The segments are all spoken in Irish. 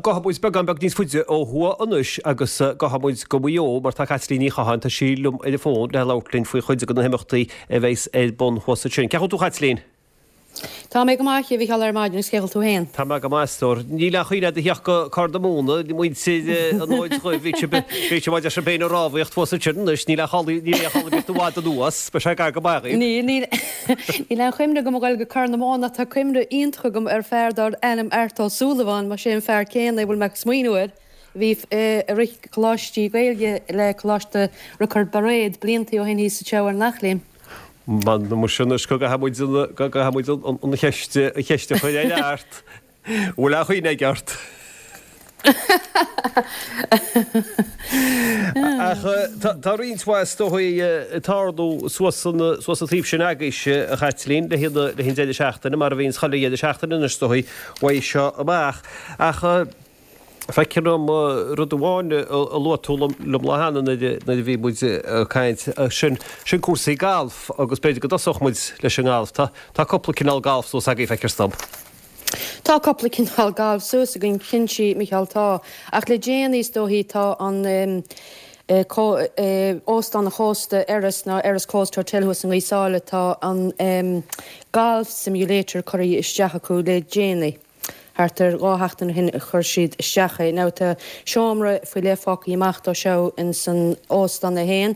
Gabhfaidh muid beagán beag níos faide ó thuaidh anois agus gabhfaidh muid go Maigh Eo mar tá Caitlín Ní Chatháin, tá sí liom ar an bhfón le labhairt linn faoi chuid de na himeachtaí a bheas ar bun thuas ansin. Cén chaoi a bhfuil tú a Chaitlín? Tá mé go maith, a Mhichíl, ar maidin agus cén chaoi a bhfuil tú féin? Tá mé go maith, a stór. Níl aon chuimhne agat a theacht go Corr na Móna, muintir an Fhóid Dhuibh, bhí sibh, bhí sibh maidir sibh féin ag rámhaíocht thuas ansin anois, níl aon chall, níl aon chall ar bith i bhfad anuas, beidh sé gar go maith dhaoibh. Níl, níl. Níl aon chuimhne agam a ghoil go Corr na Móna ach tá cuimhne iontach agam ar fear darbh ainm Art Ó Súilleabháin, más é an fear céanna é a bhfuil mé ag smaoineamh air, a bhí ag rith coláistí Gaeilge le Coláiste Riocaird Bairéad blianta ó shin thíos anseo ar an Eachléim. M'anam muise anois go gcaithfidh muid an, go gcaithfidh muid an cheist, an cheist a chur ar Art. Bhfuil aon chuimhne aige ort? Ach tá roinnt mhaith is dóigh ag tarlú suas an taobh sin agaibhse, a Chaitlín, le haghaidh an deireadh seachtaine, mar a bhíonns chuile dheireadh seachtaine anois is dóigh, uaidh seo amach. Ach feictear dom rud amháin a luaigh tú liom lá cheana nuair a bhí muid ag caint, sin cúrsaí gailf agus b'fhéidir go dtosódh muid leis an ngalf. Tá cúpla cineál galf suas agaibh, feictear dom. Tá cúpla cineál gailf suas againn, cinnte, Micheál, tá. Ach le déanaí, is dóichí, tá an Óstán an Chósta, Erris, nó Erris Coast Hotel thuas i nGaoth Sáile, tá an Golf Simulator curtha isteach acu le déanaí. Thart ar dha sheachtain ó shin a chuir siad isteach é. Now tá seomra faoi leith fágtha amach dó seo ins an óstán é féin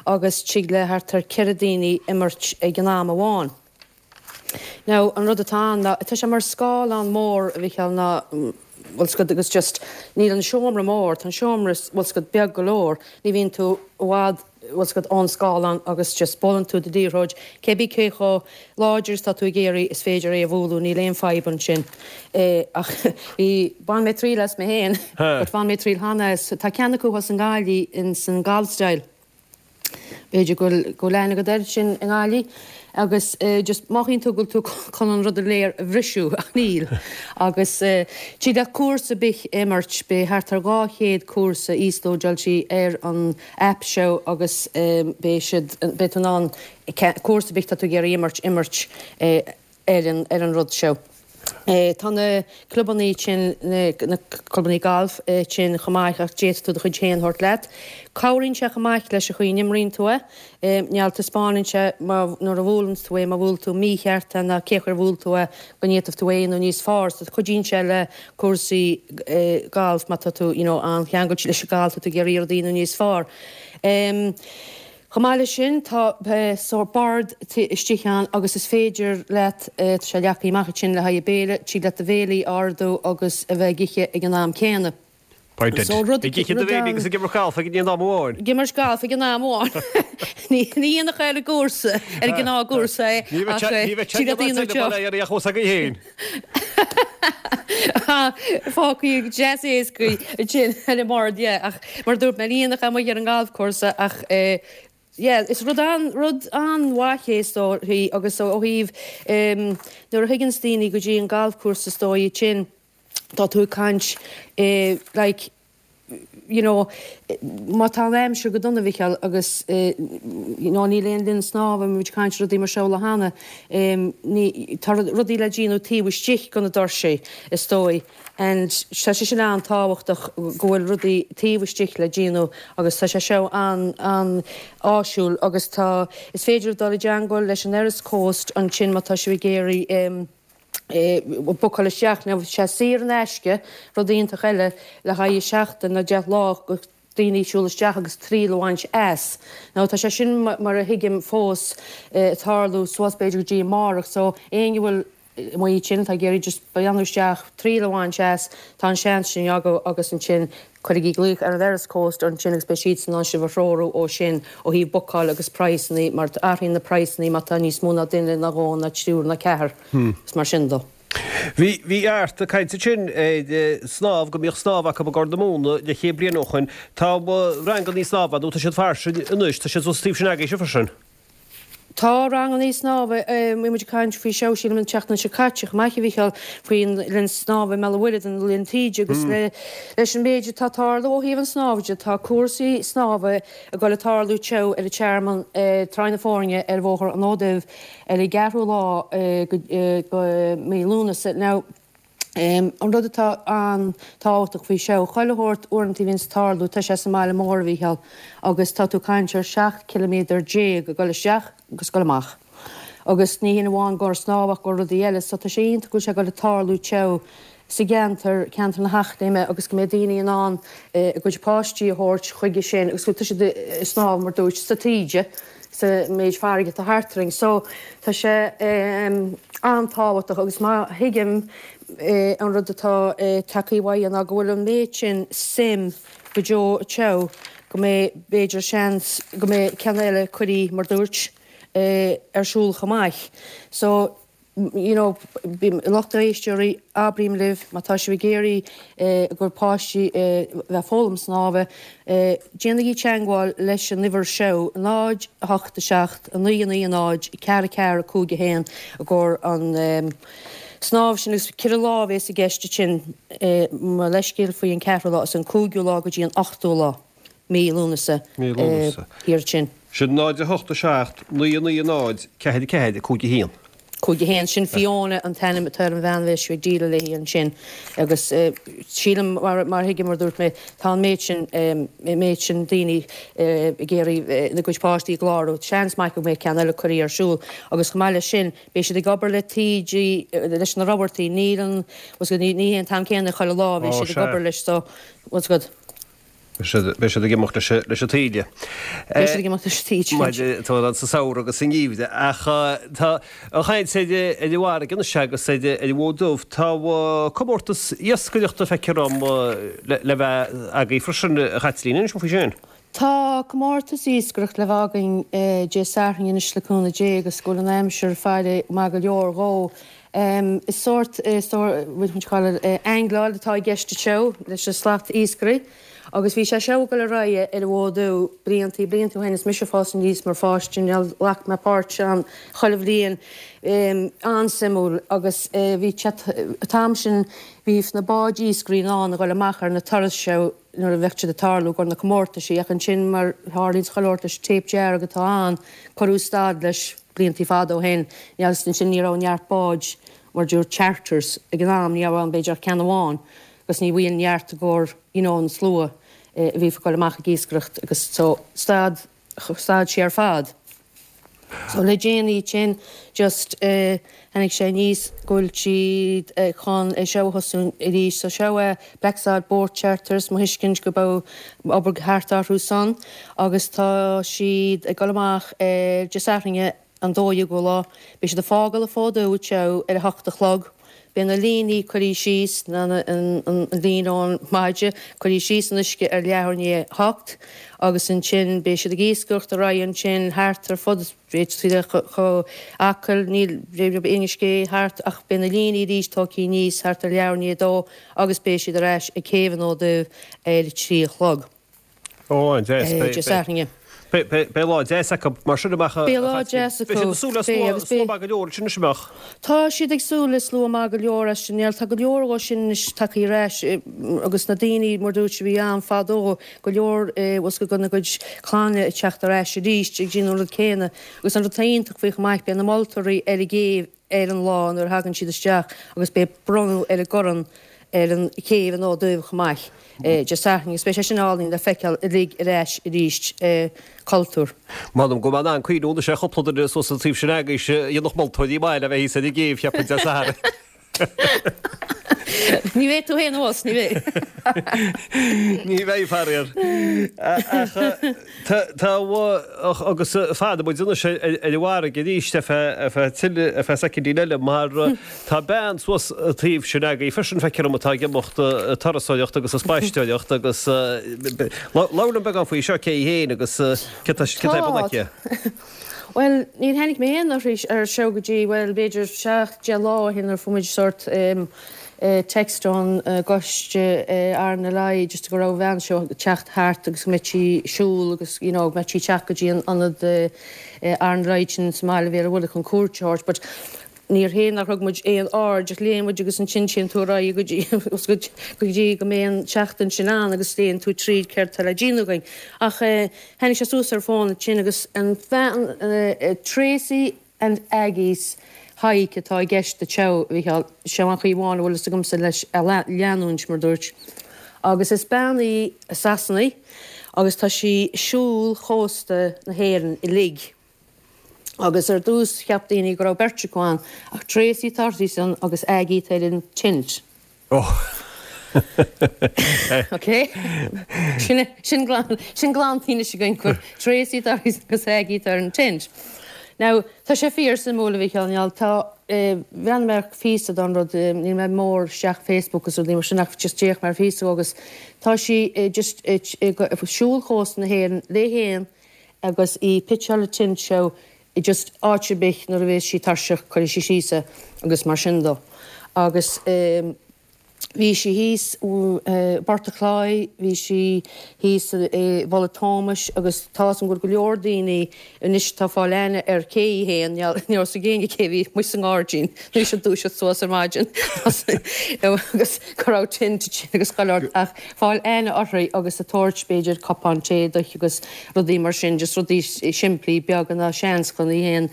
agus tig le thart ar 4 daoine imirt ag an am amháin. Now, an rud atá ann ná, tá sé mar scáileán mór, a Mhichíl, ná, bhfuil 's agat, agus just, níl an seomra mór, tá an seomra, bhfuil 's agat, beag go leor, ní bhíonn tú i bhfad, bhfuil 's agat, ón scáileán agus just buaileann tú do liathróid, cé bith cé chomh láidir is atá tú ag iarraidh, is féidir é a bhualadh, níl aon fadhb ansin. Eh, ach bhí, bhain mé triail as mé féin, but bhain mé triail cheana as, tá ceann acu thuas i nGaillimh, ins an Golf Style. B'fhéidir go bhfuil go bhfuil aithne agat air sin i nGaillimh agus just mothaíonn tú go bhfuil tú chun an rud uilig a bhriseadh ach níl. Agus tig leat cúrsa ar bith a imirt, beidh thart ar 200 cúrsa íoslódáilte ar an aip seo agus beidh siad, beidh tú in ann cúrsa ar bith atá tú ag iarraidh imirt, imirt ar an ar an rud seo. Tá na clubannaí sin, na clubannaí gailf sin chomh maith ach d'fhéadfadh tú do chuid féin a thabhairt leat. Cabhraíonn sé chomh maith leis an chaoi a n-imríonn tú é. Níl, taispeánann sé má, nuair a bhuaileann tú é, má bhuail tú mícheart é ná cé chaoi ar bhuail tú é, go bhféadfadh tú é a dhéanamh níos fearr. So cuidíonn sé le cúrsaí gailf má tá tú, you know, an-cheangailte leis an galf, tá tú ag iarraidh rudaí a dhéanamh níos fearr. Chomh maith leis sin, tá sórt bord istigh ann agus is féidir leat, tá sé leagtha amach ansin le haghaidh béile, tig leat do bhéilí a ordú agus a bheith ag ithe ag an am céanna. By dead. So rud, Ag ithe do bhéilí agus ag imirt galf ag an am amháin. Ag imirt galf ag an am amháin. Ní dhéanfadh ar an gcúrsa, ar an ngnáthchúrsa é, ach tig leat a dhéanamh anseo. Ní bheadh Fágtha deas éasca ansin ar an mbord, yeah, ach mar a dúirt mé, ní dhéanfadh amuigh ar an ngalfchúrsa ach yeah, is rud an, rud an-mhaith é is dóigh agus ó thaobh nuair a thigeanns daoine go dtí an galfchúrsa is dóigh ansin tá tú ag caint like you know, má tá an aimsir go dona, Mhicheáil, agus you know, níl aon linn snámha, bhí muid ag caint rudaí mar seo lá cheana, ní, tá rudaí le déanamh taobh istigh de na doirsí, is dóigh, and tá sé sin an-tábhachtach go bhfuil rudaí taobh istigh le déanamh agus tá sé seo an-áisiúil agus tá, is féidir dul i dteangmháil leis an Erris Coast ansin má tá sibh ag iarraidh, bookáil isteach now tá sé saor in aisce, rud iontach eile le haghaidh seachtain nó 10 lá go daoine siúl isteach agus triail a bhaint as. Now tá sé sin mar a thuigim fós ag tarlú suas b'fhéidir go dtí amárach so éinne a bhfuil amuigh ansin atá ag iarraidh just breathnú isteach, triail a bhaint as, tá an seans sin agaibh agus ansin Cuirigí glaoch ar an Erris Coast ansin agus beidh siadsan in ann sibh a threorú ó sin ó thaobh bookáil agus praghsanna mar athraíonn na praghsanna má tá níos mó ná duine ná dhó ná triúr ná ceathar agus mar sin dó. Bhí, bhí Art ag caint ansin ar snámh, go mbíodh snámh acu i gCorr na Móna leathchéad bliain ó shoin. Tá rangannaí snámha, nó tá siad fairsing anois, tá siad suas taobh sin agaibhse freisin. Tá rangannaí snámha, bhí muid ag caint faoi seo sílim an tseachtain seo caite chomh maith a Mhichíl, faoin linn snámha i mBéal an Mhuirthead, an Linn Taoide agus leis an méid atá ag tarlú ó thaobh an snámha de, tá cúrsaí snámha ag dul ag tarlú teo ar an Tearmann, Tráigh na Foirne ar Bhóthar an Fhóid Duibh ar an gceathrú lá de mhí Lúnasa. Now. An rud atá an-tábhachtach faoi seo, chuile shórt uaireanta a bhíonns ag tarlú, tá sé sa mbaile mór, a Mhícheáil, agus tá tú ag caint ar 17 ciliméadar ag dul isteach agus ag dul amach. Agus ní hin amháin gur snámh ach gur rudaí eile, so tá sé iontach go bhfuil sé ag dul ag tarlú anseo sa gceantar, ceantar na hEachléime, agus go mbeidh daoine in ann a gcuid páistí a thabhairt chuige sin agus go tá siad ag snámh mar dúirt sa taoide. sa méid farraige atá thart orainn. So, tá sé an-tábhachtach agus má thuigim an rud atá tagtha uaidh ná go bhfuil an méid sin suim go deo anseo go mbeidh b'fhéidir seans go mbeidh ceann eile curtha mar dúirt ar siúl chomh maith. So, you know, lucht éisteoirí, abraím libh, má tá sibh ag iarraidh a gcuid páistí a bheith ag foghlaim snámha, déanaigí teangmháil leis an uimhir seo, 0, 8, 7, 9, 9, 0, 4, 4, 5, 1, i gcomhair an snámh sin agus ceithre lá a bhéas i gceist ansin, mo leithscéal faoi an ceathrú lá, is an cúigiú lá go dtí an ochtú lá. Mí Lúnasa. Mí Lúnasa. Thiar ansin. Sin 0, 8, 7, 9, 9, 0, 4, 4, 5, 1. 5, 1. Sin Fiona an t-ainm atá ar an bhean a bheas sibh ag díleáil léi ansin. Agus sílim, mar mar thuigim, mar a dúirt mé, tá an méid sin, an méid sin daoine ag iarraidh a gcuid páistí a chlárú. Seans maith go mbeidh ceann eile curtha ar siúl. Agus chomh maith leis sin, beidh siad ag obair le taoidí, leis na robartaí. Níl an, ní hé an t-am céanna chuile lá a bheidh siad ag obair leis so, what's good. Beidh siad ag imeacht leis an taoille. Beidh siad ag imeacht leis an taoille. Mar atá ann sa samhradh agus sa ngeimhreadh. Ach tá an chaint ar an bhfarraige anois agus ar an bhFód Dubh. Tá comórtas iascaireachta feictear dom le bheith agaibh freisin, a Chaitlín. Inis dom faoi sin. Tá comórtas iascaireachta le bheith againn Dé Sathairn anois le cúnamh Dé agus go bhfuil an aimsir ag faire maith go leor dhó. Is sórt, what you call it, aingleáil atá i gceist anseo leis an slat iascairí agus bhí sé seo ag dul ar aghaidh ar an bhFód Dubh bliantaí, blianta ó shin is mise ag fás aníos mar pháiste, ghlac mé páirt ann chuile bhliain, an-suimiúil agus bhí an t-am sin bhí na báid iascairí in ann a dhul amach ar na turais seo nuair a bheadh siad ag tarlú i gcomhair na comórtaisí ach ansin mar tharlaíonn chuile shórt leis an téip dearg atá ann cuireadh stad leis. bliantaí fada ó shin, agus ansin ní raibh neart báid mar dúirt charters ag an am, ní raibh ann b'fhéidir ach ceann amháin agus ní bhíonn neart i gcomhair you know an slua a bhí ag dul amach ag iascaireacht agus so stad, stad sé ar fad. So le déanaí ansin just eh tháinig sé aníos go bhfuil siad chun é seo a thosú arís so seo é Blacksod Boat Charters, mo thuiscint go bhfuil obair thart orthu san agus tá siad ag dul amach ar Dé Sathairn an 12ú lá. Beidh siad ag fágáil an Fód Dubh anseo ar a hocht a chlog. Beidh na líní curtha síos, an líne ón maide curtha síos san uisce ar leathuair i ndiaidh a hocht agus ansin beidh siad ag iascaireacht ar aghaidh ansin thart ar fud B'fhéidir chomh Acaill, níl Inis Gé thart ach beidh na líní arís tógtha aníos thart ar leathuair i ndiaidh a dó agus beidh siad ar ais ag céibh an Fhóid Duibh ar a trí a chlog. Ó, an-deas. Dé Sathairn. Beidh lá deas acu mar sin amach. Beidh lá deas acu. Beidh siad ag súil le slua maith go leor ansin anois, an mbeadh? Tá siad ag súil le slua maith go leor as sin. Tá go leor dhó sin anois tagtha ar ais agus na daoine mar dúirt a bhí ann fadó go leor bhfuil go gona gcuid clainne ag teacht ar ais arís ag déanamh an rud céanna agus an rud atá iontach faoi chomh maith beidh na moltóirí ar an gcéibh ar an lá nuair a thagann siad isteach agus beidh bronnadh ar an gcorn ar an chéibh an Fhóid Duibh chomh maith Dé Sathairn agus beidh sé sin álainn le feiceáil uilig ar ais arís cultúr. M'anam go mbeidh in ann cuimhniú anois ar chúpla duine suas an taobh sin agaibhse a dhéanfadh moltóirí maith le bheith thíos ar an gcéibh, cheapfainn, Dé Sathairn. Ní bheidh tú féin abhus, ní bheidh. Ní bheidh, faraor. Ach tá, agus fanfaidh muid anois ar an bhfarraige arís ar feadh tuilleadh, ar feadh soicindín eile, mar tá bean suas an taobh sin agaibh freisin, feictear dom, atá ag imeacht ag turasóireacht agus ag spaisteoireacht agus labhair liom beagán faoi seo, cé hí féin agus céard atá ar bun aici. Bhuel, níor tháinig mé féin uirthi ar seo go dtí, bhuel, b'fhéidir 7, 10 lá ó shin nuair a fuair muid sórt text ón gcoiste RNLI just go raibh an bhean seo ag teacht thart agus go mbeadh sí ag siúl agus, you know, go mbeadh sí ag teacht go dtí an ionad RNLI sin sa mbaile Bhéal an Mhuirthead chun cuairt a thabhairt but Níor hé nár thug muid aon aird ach léann muid agus ansin téann tú ar aghaidh go dtí go dtí go mbeidh an tseachtain sin ann agus léann tú tríd céard atá le déanamh againn. Ach tháinig sé suas ar fón ansin agus an bhean Tracy and Aggie's. Hike atá i gceist anseo, a Mhícheáil. Seo an chaoi amháin a bhfuil fhios agamsa leis a leanúint, mar dúirt. Agus is bean í i Sasana agus tá sí ag siúl chósta na hÉireann uilig. Agus ar dtús cheap daoine go raibh beirt acu ann, ach Tracy atá uirthi san agus Aggie atá ar an tint. Oh. Ok? Sin, sin glan, sin glanta anois againn gur Tracy atá uirthi agus Aggie atá ar an tint. Now, tá sé fíor suimiúil a Mhícheáil, níl, tá, eh, bhreathnaigh mé ar phíosa don rud, eh, níl mé mór isteach Facebook agus rudaí mar sin ach just d'fhéach mé ar phíosa agus tá sí, eh, just, eh, ag siúl chósta na hÉireann léi féin agus í pitseáil an tint seo i just áit ar bith nuair a bhéas sí tuirseach cuirfidh sí síos é agus mar sin dó. Agus bhí sí thíos i bPort a' Chláí, bhí sí thíos i bPoll a' Tómais agus tá 'fhios a'm go bhfuil go leor daoine anois atá ag fáil aithne ar cé í fhéin, ní raibh 'fhios ag éinne cé bhí amuigh sa ngairdín nuair a dúiseacht suas ar maidin agus go raibh tint ansin agus chuile shórt ach fáil aithne uirthi agus ag tabhairt b'fhéidir cupán tae di agus rudaí mar sin, just rudaí simplí beaga ná seans chun í fhéin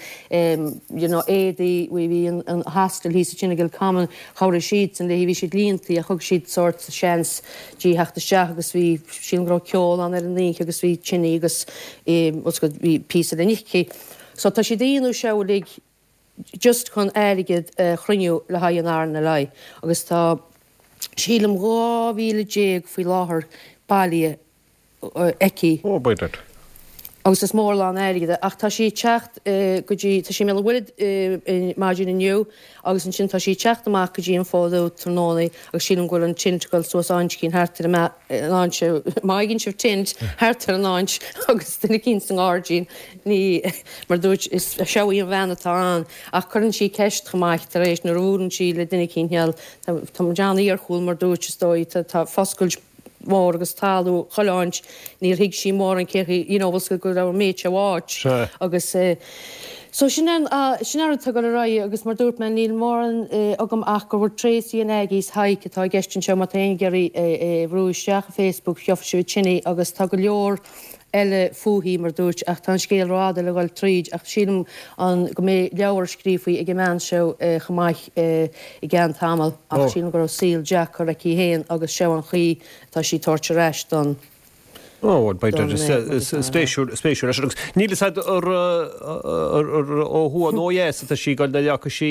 you know éadaí, bhí bhí an an hostel thíos ansin i gCill Common, chabhraigh siadsan léi, bhí siad líontaí ach thug siad sórt seans di theacht isteach agus bhí, sílim go raibh ceol ann ar an oíche agus bhí tine agus eh bhí píosa le n-ithe aici. So tá siad a dhéanamh seo uilig just chun airgead a chruinniú le haghaidh an RNLI agus tá sílim 12,000 faoi láthair bailithe aici. Oh, b'fhéidir. Agus is mór lán airgead é. Ach tá sí ag teacht go dtí, tá sí i mBéal an Mhuirthead maidin inniu agus ansin tá sí ag teacht amach go dtí an Fód Dubh tráthnóna agus sílim go bhfuil an tint ag dul suas áit eicínt thart ar an áit, má fhaigheann sibh tint thart ar an áit agus duine eicínt sa ngairdín, ní, mar dúirt, is seo í an bhean atá ann ach cuireann sí ceist chomh maith tar éis nuair a bhuaileann sí le duine eicínt, tá muid an-iarchúil mar dúirt, is dóigh, tá foscailt mhór agus talamh chuile áit, níor thuig sí mórán cé chaoi, you know, bhfuil go raibh an méid seo áit agus eh so sin an, sin an rud atá ag dul ar aghaidh agus mar dúirt mé níl mórán agam ach go bhfuil Tracy and Aggie's Hike atá i gceist anseo má tá éinne ag iarraidh é a bhrú isteach i Facebook gheobhaidh sibh ansin í agus tá go leor eile fúithi, mar dúirt, ach tá an scéal rófhada le dhul tríd, ach sílim an go mbeidh leabhar scríofa ag an mbean seo chomh maith i gceann tamaill, ach sílim go raibh saol deacair aici féin agus seo an chaoi atá sí ag tabhairt ar ais don Ó, bhuel, b'fhéidir, spéisiúil, spéisiúil leis. Agus níl fhios a'd ar, ar, ó thuaidh nó ó dheas atá sí ag dul, nuair a fhágfaidh sí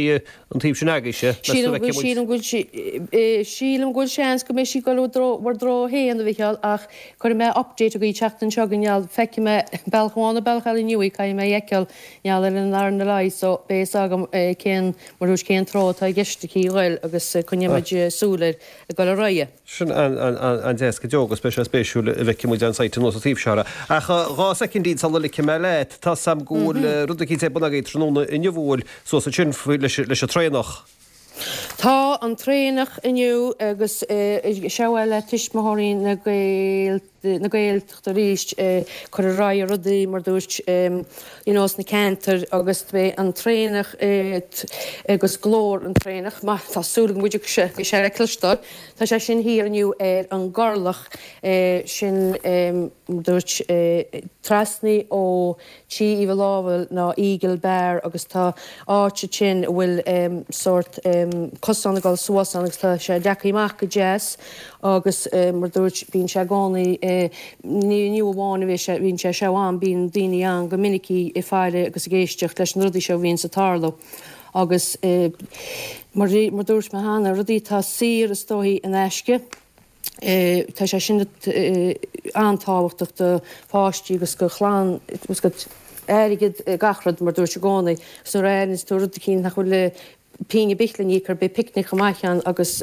An taobh sin agaibhse, meas tú an bhfeicfidh muid. Sílim go bhfuil sílim go bhfuil seans go mbeidh sí ag dul bhur dtreo féin, a Mhicheáil, ach cuirfidh mé update agaibh an tseachtain seo chugainn, gheall, feicfidh mé bealach amháin nó bealach eile inniu í, caithfidh mé í a fheiceáil, gheall ar an RNLI so beidh fhios agam cén, mar dúirt, cén treo atá i gceist aici a ghoil agus coinneoidh muid súil air ag dul ar aghaidh. Sin an-deas go deo agus beidh sé spéisiúil an bhfeicfidh muid an site anuas an taobh seo. Ach 2 soicindín sula ligfidh mé leat, tá 's a'm go bhfuil rud eicínt ar bun agaibh tráthnóna inniu, bhfuil? Suas ansin leis an traonach. Tá an traonach inniu agus seo eile Tuismitheoirí na na Gaeltachta arís ag cur ar aghaidh rudaí mar dúirt you know sna ceantair agus beidh an traonach agus glór an traonach má tá súil agam go dtiocfaidh sé le cloisteáil tá sé sin thiar inniu ar an gCorlach sin mar dúirt trasna ó Tí Uí Mhaolámhail ná Eagle Bar agus tá áit ansin a bhfuil sórt cosán ag dul suas ann agus tá sé leagtha amach go deas agus mar dúirt bíonn sé i gcónaí ní inniu amháin a bhí sé bhíonn sé seo ann bíonn daoine ann go minic ag faire agus ag éisteacht leis na rudaí seo a bhíonns ag tarlú agus mar mar dúirt mé cheana rudaí atá saor is dóichí in aisce. Tá sé sin an-tábhachtach do pháistí agus do chlann agus go airgead gach rud mar dúirt i gcónaí agus nuair a fhaigheanns tú rud eicínt nach bhfuil pingin ar bith le n-íoc air beidh picnic chomh maith ann agus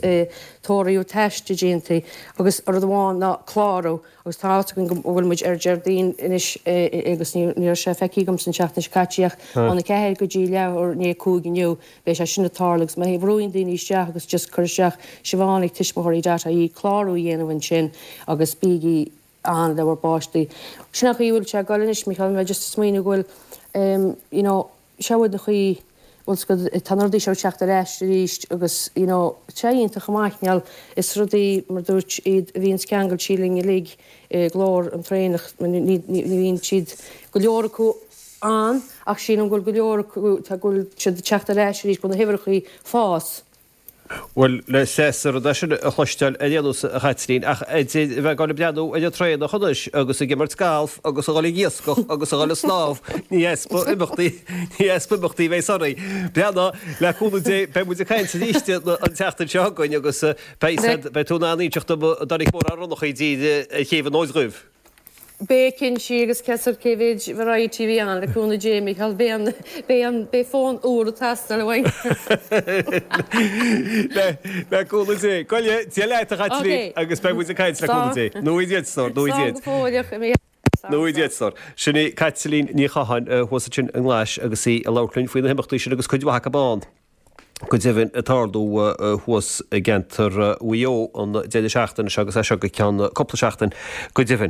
tórramh taisce déanta agus rud amháin ná clárú agus tá fhios againn go bhfuil muid ar Déardaoin anois agus ní raibh sé feicthe agamsa an tseachtain seo caite ach óna ceathair go dtí leathuair i ndiaidh a 5 inniu Beidh sé sin ag tarlú agus má bhrúann daoine isteach agus just cur isteach Siobhán ag tuismitheoirí dot ie clárú a dhéanamh ansin agus bígí ann le bhur bpáistí. Sin an chaoi a bhfuil sé ag dul anois, Micheál, mé just ag smaoineamh go bhfuil em you know seo an chaoi bhfuil 's agat tá na rudaí seo ag teacht ar ais arís agus you know tá sé iontach chomh maith gheall is rudaí mar dúirt iad a bhíonns ceangailte linn uilig i nGlór an Traonach ní ní bhíonn siad go leor acu. ann ach sílim go bhfuil go leor acu, go bhfuil siad ag teacht ar ais arís, go bhfuil na huimhreachaí ag fás. Bhuel, le séasúr é sin a chloisteáil ar aon nós, a Chaitlín, ach idir a bheith ag dul ag breathnú ar an traonach anois agus ag imirt galf agus a dhul ag iascach agus a dhul ag snámh, ní easpa imeachtaí, ní easpa imeachtaí a bheas oraibh. Breathnaigh, le cúnamh Dé, beidh muid ag caint arís an tseachtain seo chugainn agus beidh, beidh tú in ann inseacht dom an dtáinig mórán ronnachaí i dtír ar Chéibh an Fhóid Dhuibh. Beidh cinnte agus cé cé mhéid variety a bhí ann, le cúnamh Dé, Micheál, beidh an, beidh an, beidh fón úr ag teastáil uainn. Le, le cúnamh Dé. Gabh i leith, Dia leat a Chaitlín agus beidh muid ag caint le cúnamh Dé. Nó iad, stór, nó iad. Slán go fóill, a Mhichíl. Nó iad, stór. Sin í Caitlín Ní Chatháin thuas ansin i nGlais agus í ag labhairt linn faoi na himeachtaí sin agus cuid mhaith acu ann. Go deimhin, ag tarlú thuas i gceantar Mhaigh Eo an deireadh seachtaine seo agus é seo go ceann cúpla seachtain go deimhin.